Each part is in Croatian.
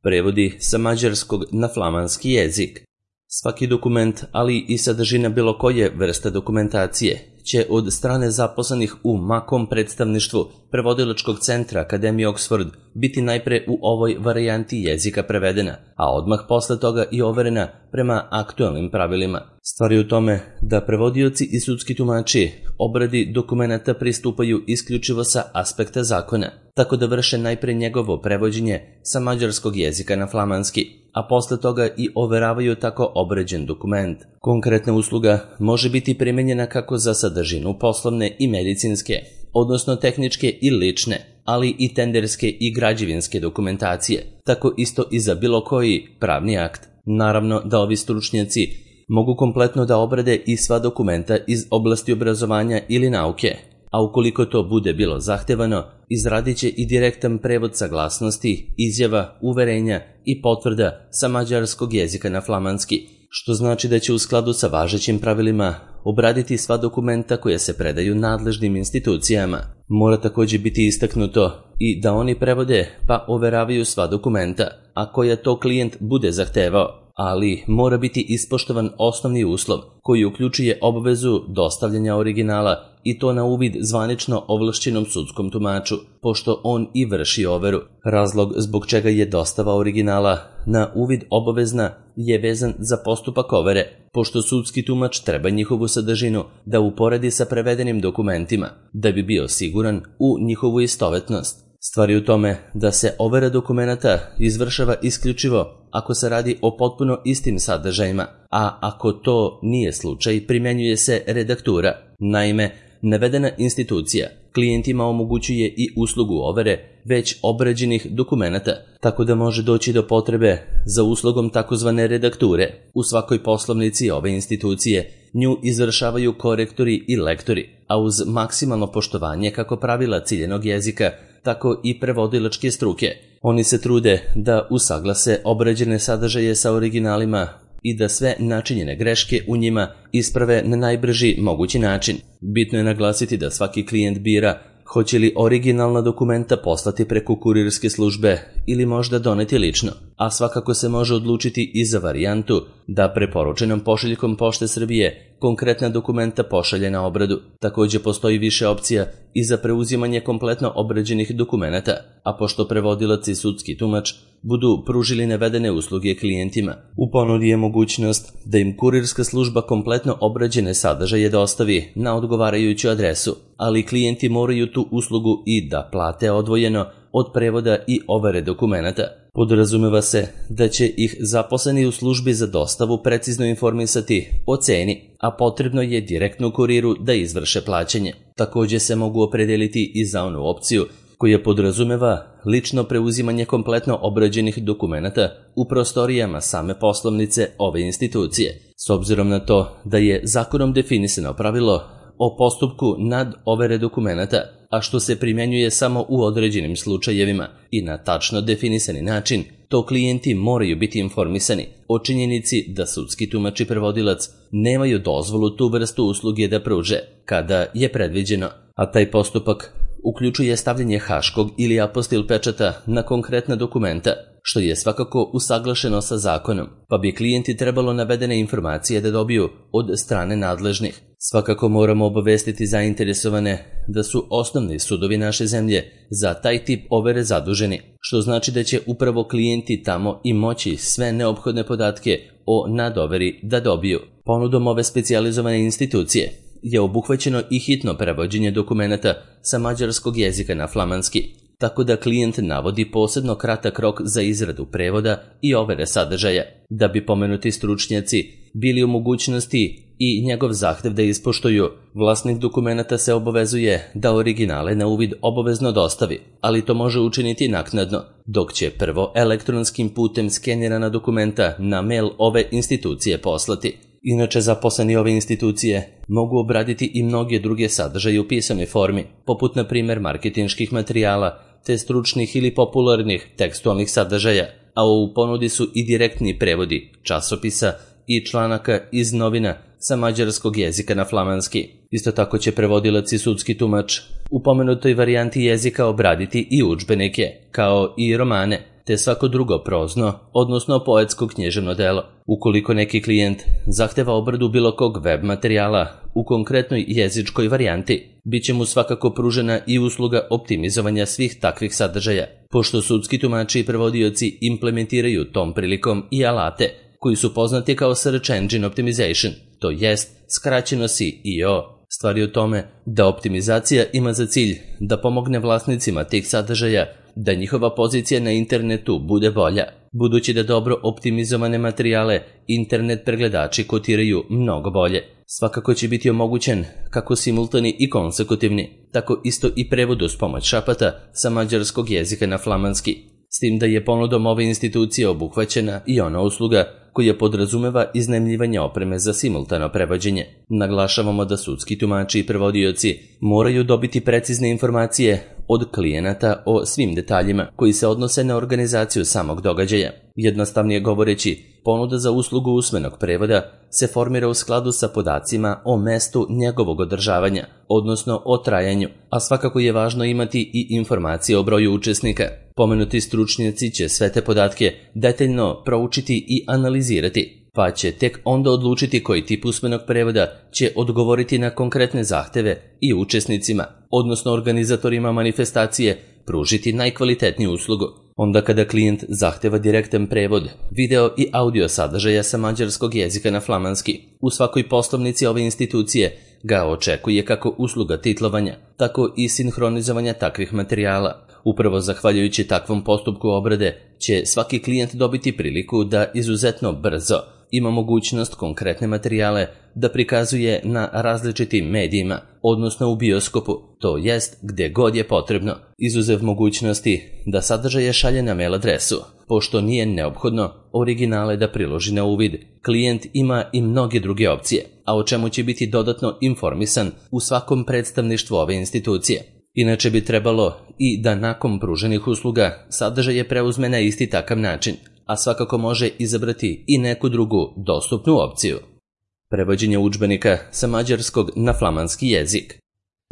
Prevodi sa mađarskog na flamanski jezik. Svaki dokument, ali i sadržina bilo koje vrste dokumentacije, će od strane zaposlenih u makom predstavništvu Prevodilačkog centra Akademije Oxford biti najpre u ovoj varijanti jezika prevedena, a odmah posle toga i overena prema aktualnim pravilima. Stvar je u tome da prevodioci i sudski tumači obradi dokumenata pristupaju isključivo sa aspekta zakona, tako da vrše najpre njegovo prevođenje sa mađarskog jezika na flamanski, a posle toga i overavaju tako obrađen dokument. Konkretna usluga može biti primenjena kako za sadržinu poslovne i medicinske, odnosno tehničke i lične, ali i tenderske i građevinske dokumentacije, tako isto i za bilo koji pravni akt. Naravno da ovi stručnjaci mogu kompletno da obrade i sva dokumenta iz oblasti obrazovanja ili nauke, a ukoliko to bude bilo zahtevano, izradit će i direktan prevod saglasnosti, izjava, uverenja i potvrda sa mađarskog jezika na flamanski, što znači da će u skladu sa važećim pravilima obraditi sva dokumenta koja se predaju nadležnim institucijama. Mora također biti istaknuto i da oni prevode pa overavaju sva dokumenta, a koja to klijent bude zahtevao, ali mora biti ispoštovan osnovni uslov koji uključuje obavezu dostavljanja originala i to na uvid zvanično ovlašćenom sudskom tumaču, pošto on i vrši overu. Razlog zbog čega je dostava originala na uvid obavezna je vezan za postupak overe, pošto sudski tumač treba njihovu sadržinu da uporedi sa prevedenim dokumentima, da bi bio siguran u njihovu istovetnost. Stvar je u tome da se overa dokumenata izvršava isključivo ako se radi o potpuno istim sadržajima, a ako to nije slučaj, primjenjuje se redaktura. Naime, navedena institucija klijentima omogućuje i uslugu overe već obrađenih dokumenata, tako da može doći do potrebe za uslugom takozvane redakture. U svakoj poslovnici ove institucije nju izvršavaju korektori i lektori, a uz maksimalno poštovanje kako pravila ciljenog jezika, tako i prevodilačke struke. Oni se trude da usaglase obrađene sadržaje sa originalima i da sve načinjene greške u njima isprave na najbrži mogući način. Bitno je naglasiti da svaki klijent bira hoće li originalna dokumenta poslati preko kurirske službe ili možda doneti lično, a svakako se može odlučiti i za varijantu da preporučenom pošiljkom Pošte Srbije konkretna dokumenta pošalje na obradu. Također postoji više opcija i za preuzimanje kompletno obrađenih dokumenata, a pošto prevodilac i sudski tumač budu pružili navedene usluge klijentima, u ponudi je mogućnost da im kurirska služba kompletno obrađene sadržaje dostavi na odgovarajuću adresu, ali klijenti moraju tu uslugu i da plate odvojeno od prevoda i overe dokumenata. Podrazumeva se da će ih zaposleni u službi za dostavu precizno informisati o ceni, a potrebno je direktno kuriru da izvrše plaćanje. Također se mogu opredeliti i za onu opciju koja podrazumeva lično preuzimanje kompletno obrađenih dokumenata u prostorijama same poslovnice ove institucije. S obzirom na to da je zakonom definisano pravilo o postupku nad overe dokumenata, a što se primjenjuje samo u određenim slučajevima i na tačno definisani način, to klijenti moraju biti informisani o činjenici da sudski tumač i prevodilac nemaju dozvolu tu vrstu usluge da pruže kada je predviđeno, a taj postupak uključuje stavljanje haškog ili apostil pečata na konkretna dokumenta, što je svakako usaglašeno sa zakonom, pa bi klijenti trebalo navedene informacije da dobiju od strane nadležnih. Svakako moramo obavestiti zainteresovane da su osnovni sudovi naše zemlje za taj tip overe zaduženi, što znači da će upravo klijenti tamo i moći sve neophodne podatke o nadoveri da dobiju. Ponudom ove specijalizovane institucije je obuhvaćeno i hitno prevođenje dokumenata sa mađarskog jezika na flamanski, tako da klijent navodi posebno kratak rok za izradu prevoda i overe sadržaja, da bi pomenuti stručnjaci bili u mogućnosti i njegov zahtev da ispoštuju. Vlasnik dokumenata se obavezuje da originale na uvid obavezno dostavi, ali to može učiniti naknadno, dok će prvo elektronskim putem skenirana dokumenta na mail ove institucije poslati. Inače, zaposleni ove institucije mogu obraditi i mnoge druge sadržaje u pisanoj formi, poput na primjer marketinških materijala, te stručnih ili popularnih tekstualnih sadržaja, a u ponudi su i direktni prevodi časopisa i članaka iz novina sa mađarskog jezika na flamanski. Isto tako će prevodilac i sudski tumač u pomenutoj varijanti jezika obraditi i udžbenike, kao i romane, te svako drugo prozno, odnosno poetsko književno delo. Ukoliko neki klijent zahteva obradu bilo kog web materijala u konkretnoj jezičkoj varijanti, bit će mu svakako pružena i usluga optimizovanja svih takvih sadržaja, pošto sudski tumači i prevodioci implementiraju tom prilikom i alate koji su poznati kao Search Engine Optimization, to jest skraćeno SEO. Stvar je u tome da optimizacija ima za cilj da pomogne vlasnicima tih sadržaja da njihova pozicija na internetu bude bolja, budući da dobro optimizovane materijale internet pregledači kotiraju mnogo bolje. Svakako će biti omogućen kako simultani i konsekutivni, tako isto i prevod uz pomoć šapata sa mađarskog jezika na flamanski, s tim da je ponudom ove institucije obuhvaćena i ona usluga koja podrazumeva iznajmljivanje opreme za simultano prevođenje. Naglašavamo da sudski tumači i prevodioci moraju dobiti precizne informacije od klijenata o svim detaljima koji se odnose na organizaciju samog događaja. Jednostavnije govoreći, ponuda za uslugu usmenog prevoda se formira u skladu sa podacima o mestu njegovog održavanja, odnosno o trajanju, a svakako je važno imati i informacije o broju učesnika. Pomenuti stručnjaci će sve te podatke detaljno proučiti i analizirati, pa će tek onda odlučiti koji tip usmenog prevoda će odgovoriti na konkretne zahteve i učesnicima, odnosno organizatorima manifestacije, pružiti najkvalitetniju uslugu. Onda kada klijent zahteva direktan prevod, video i audio sadržaja sa mađarskog jezika na flamanski, u svakoj poslovnici ove institucije ga očekuje kako usluga titlovanja, tako i sinhronizovanja takvih materijala. Upravo zahvaljujući takvom postupku obrade će svaki klijent dobiti priliku da izuzetno brzo ima mogućnost konkretne materijale da prikazuje na različitim medijima, odnosno u bioskopu, to jest gdje god je potrebno, izuzev mogućnosti da sadržaje šalje na mail adresu. Pošto nije neophodno originale da priloži na uvid, klijent ima i mnoge druge opcije, a o čemu će biti dodatno informisan u svakom predstavništvu ove institucije. Inače bi trebalo i da nakon pruženih usluga sadržaje preuzme na isti takav način, a svakako može izabrati i neku drugu dostupnu opciju. Prevođenje udžbenika sa mađarskog na flamanski jezik.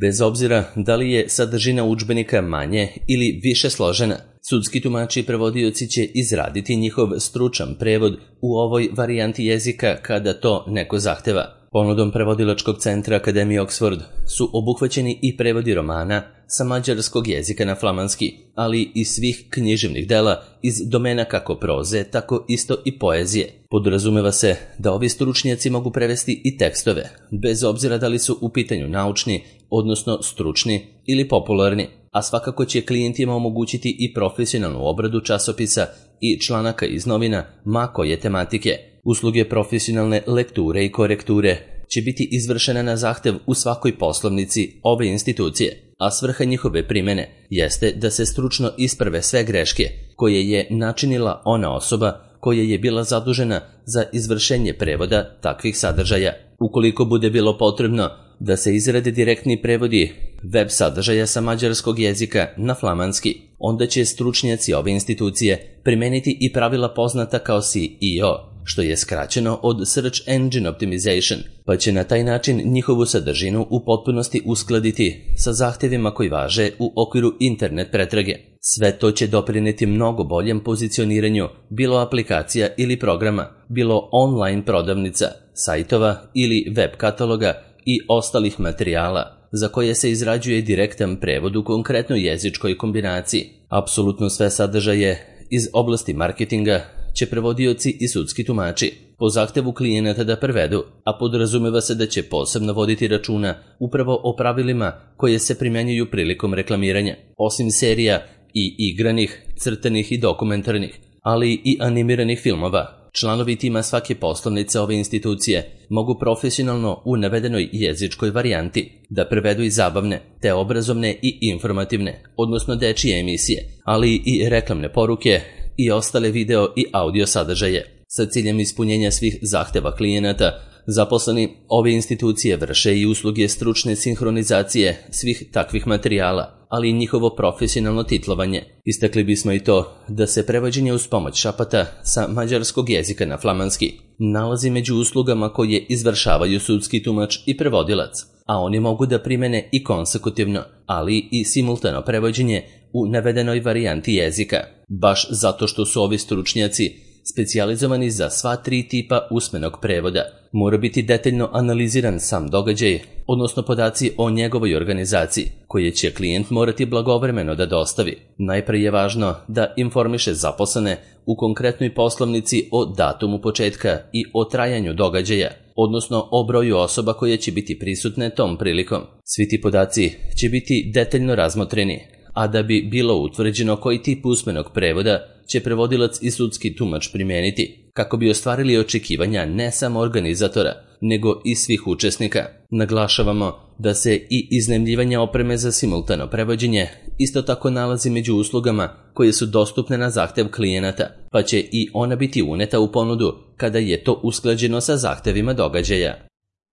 Bez obzira da li je sadržina udžbenika manje ili više složena, sudski tumači i prevodioci će izraditi njihov stručan prevod u ovoj varijanti jezika kada to neko zahteva. Ponudom prevodilačkog centra Akademije Oxford su obuhvaćeni i prevodi romana sa mađarskog jezika na flamanski, ali i svih književnih dela iz domena kako proze, tako isto i poezije. Podrazumeva se da ovi stručnjaci mogu prevesti i tekstove, bez obzira da li su u pitanju naučni, odnosno stručni ili popularni, a svakako će klijentima omogućiti i profesionalnu obradu časopisa i članaka iz novina ma koje tematike. Usluge profesionalne lekture i korekture će biti izvršena na zahtev u svakoj poslovnici ove institucije, a svrha njihove primene jeste da se stručno isprave sve greške koje je načinila ona osoba koja je bila zadužena za izvršenje prevoda takvih sadržaja. Ukoliko bude bilo potrebno da se izrade direktni prevodi web sadržaja sa mađarskog jezika na flamanski, onda će stručnjaci ove institucije primeniti i pravila poznata kao SEO, što je skraćeno od Search Engine Optimization, pa će na taj način njihovu sadržinu u potpunosti uskladiti sa zahtjevima koji važe u okviru internet pretrage. Sve to će doprineti mnogo boljem pozicioniranju bilo aplikacija ili programa, bilo online prodavnica, sajtova ili web kataloga i ostalih materijala za koje se izrađuje direktan prevod u konkretnoj jezičkoj kombinaciji. Apsolutno sve sadržaje iz oblasti marketinga će prevodioci i sudski tumači po zahtevu klijenata da prevedu, a podrazumeva se da će posebno voditi računa upravo o pravilima koje se primjenjuju prilikom reklamiranja, osim serija i igranih, crtanih i dokumentarnih, ali i animiranih filmova. Članovi tima svake poslovnice ove institucije mogu profesionalno u navedenoj jezičkoj varijanti da prevedu i zabavne, te obrazovne i informativne, odnosno dečije emisije, ali i reklamne poruke i ostale video i audio sadržaje. Sa ciljem ispunjenja svih zahteva klijenata, zaposleni ove institucije vrše i usluge stručne sinhronizacije svih takvih materijala, ali i njihovo profesionalno titlovanje. Istakli bismo i to da se prevođenje uz pomoć šapata sa mađarskog jezika na flamanski nalazi među uslugama koje izvršavaju sudski tumač i prevodilac, a oni mogu da primene i konsekutivno, ali i simultano prevođenje u navedenoj varijanti jezika, baš zato što su ovi stručnjaci specijalizovani za sva 3 tipa usmenog prevoda. Mora biti detaljno analiziran sam događaj, odnosno podaci o njegovoj organizaciji, koje će klijent morati blagovremeno da dostavi. Najprije je važno da informiše zaposlene u konkretnoj poslovnici o datumu početka i o trajanju događaja, odnosno o broju osoba koje će biti prisutne tom prilikom. Svi ti podaci će biti detaljno razmotreni, a da bi bilo utvrđeno koji tip usmenog prevoda će prevodilac i sudski tumač primijeniti, kako bi ostvarili očekivanja ne samo organizatora, nego i svih učesnika. Naglašavamo da se i iznajmljivanje opreme za simultano prevođenje isto tako nalazi među uslugama koje su dostupne na zahtev klijenata, pa će i ona biti uneta u ponudu kada je to usklađeno sa zahtevima događaja.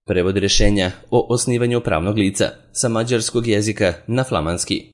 Prevod rješenja o osnivanju pravnog lica sa mađarskog jezika na flamanski.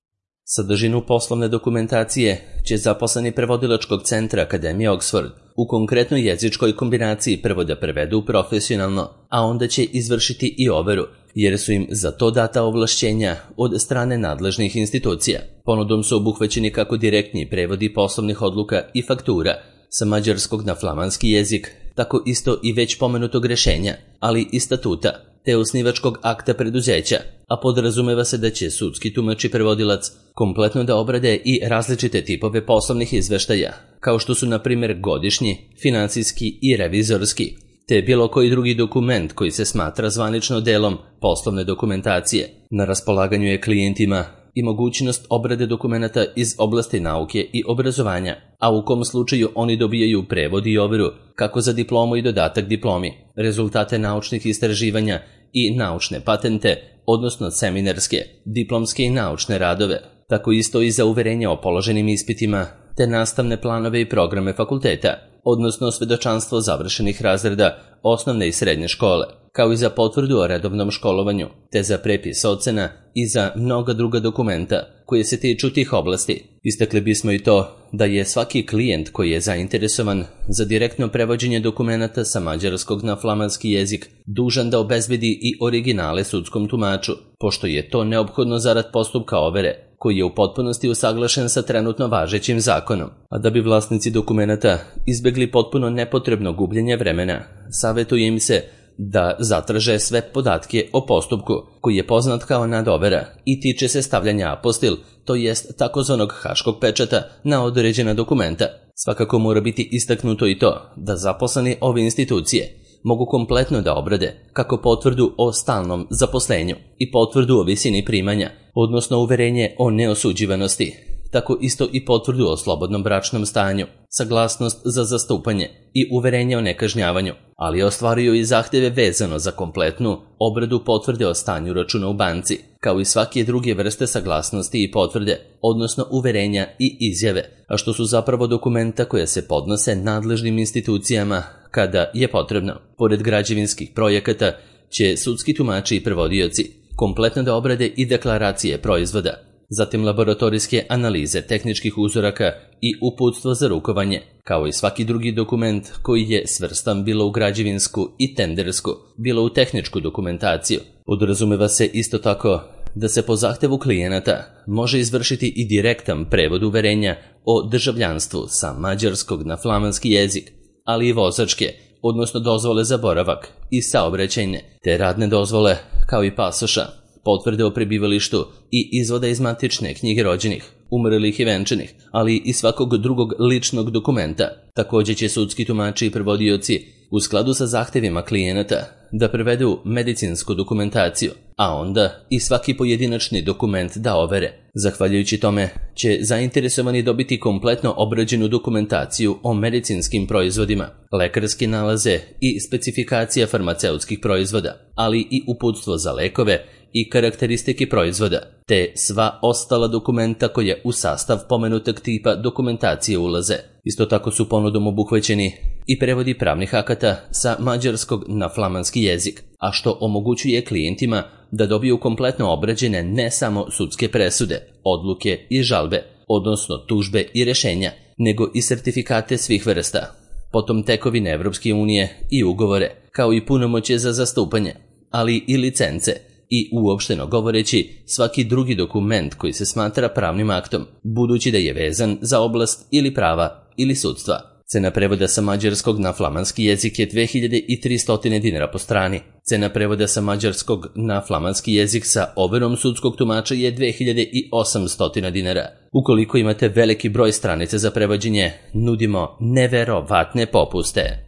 Sadržinu poslovne dokumentacije će zaposleni prevodilačkog centra Akademije Oxford u konkretnoj jezičkoj kombinaciji prvo da prevedu profesionalno, a onda će izvršiti i overu, jer su im za to data ovlašćenja od strane nadležnih institucija. Ponudom su obuhvaćeni kako direktni prevodi poslovnih odluka i faktura sa mađarskog na flamanski jezik, tako isto i već pomenutog rješenja, ali i statuta, te osnivačkog akta preduzeća, a podrazumeva se da će sudski tumač i prevodilac kompletno da obrade i različite tipove poslovnih izveštaja, kao što su na primjer godišnji, financijski i revizorski, te bilo koji drugi dokument koji se smatra zvanično delom poslovne dokumentacije. Na raspolaganju je klijentima i mogućnost obrade dokumenata iz oblasti nauke i obrazovanja, a u kom slučaju oni dobijaju prevod i overu kako za diplomu i dodatak diplomi, rezultate naučnih istraživanja i naučne patente, odnosno seminarske, diplomske i naučne radove, tako isto i za uverenje o položenim ispitima, te nastavne planove i programe fakulteta, odnosno svedočanstvo završenih razreda osnovne i srednje škole, kao i za potvrdu o redovnom školovanju, te za prepis ocena i za mnoga druga dokumenta koje se tiču tih oblasti. Istakli bismo i to da je svaki klijent koji je zainteresovan za direktno prevođenje dokumenata sa mađarskog na flamanski jezik dužan da obezbedi i originale sudskom tumaču, pošto je to neophodno zarad postupka overe, koji je u potpunosti usaglašen sa trenutno važećim zakonom. A da bi vlasnici dokumenata izbjegli potpuno nepotrebno gubljenje vremena, savjetuje im se da zatraže sve podatke o postupku, koji je poznat kao nadovera i tiče se stavljanja apostil, to jest takozvanog haškog pečata na određena dokumenta. Svakako mora biti istaknuto i to da zaposleni ove institucije mogu kompletno da obrade kako potvrdu o stalnom zaposlenju i potvrdu o visini primanja, odnosno uverenje o neosuđivanosti, tako isto i potvrdu o slobodnom bračnom stanju, saglasnost za zastupanje i uverenje o nekažnjavanju, ali ostvaruju i zahtjeve vezano za kompletnu obradu potvrde o stanju računa u banci, kao i svake druge vrste saglasnosti i potvrde, odnosno uverenja i izjave, a što su zapravo dokumenta koje se podnose nadležnim institucijama kada je potrebno. Pored građevinskih projekata će sudski tumači i prevodioci kompletno da obrade i deklaracije proizvoda, zatim laboratorijske analize tehničkih uzoraka i uputstvo za rukovanje, kao i svaki drugi dokument koji je svrstan bilo u građevinsku i tendersku, bilo u tehničku dokumentaciju. Podrazumeva se isto tako da se po zahtevu klijenata može izvršiti i direktan prevod uverenja o državljanstvu sa mađarskog na flamanski jezik, ali i vozačke, odnosno dozvole za boravak i saobraćajne, te radne dozvole, kao i pasoša, potvrde o prebivalištu i izvoda iz matične knjige rođenih, umrlih i venčanih, ali i svakog drugog ličnog dokumenta. Također će sudski tumači i prevodioci u skladu sa zahtevima klijenata da prevedu medicinsku dokumentaciju, a onda i svaki pojedinačni dokument da overe. Zahvaljujući tome će zainteresovani dobiti kompletno obrađenu dokumentaciju o medicinskim proizvodima, lekarske nalaze i specifikacija farmaceutskih proizvoda, ali i uputstvo za lekove i karakteristike proizvoda, te sva ostala dokumenta koje u sastav pomenutog tipa dokumentacije ulaze. Isto tako su ponudom obuhvaćeni i prevodi pravnih akata sa mađarskog na flamanski jezik, a što omogućuje klijentima da dobiju kompletno obrađene ne samo sudske presude, odluke i žalbe, odnosno tužbe i rješenja, nego i sertifikate svih vrsta, potom tekovine Evropske unije i ugovore, kao i punomoćje za zastupanje, ali i licence, i uopšteno govoreći svaki drugi dokument koji se smatra pravnim aktom, budući da je vezan za oblast ili prava ili sudstva. Cena prevoda sa mađarskog na flamanski jezik je 2300 dinara po strani. Cena prevoda sa mađarskog na flamanski jezik sa overom sudskog tumača je 2800 dinara. Ukoliko imate veliki broj stranica za prevođenje, nudimo neverovatne popuste.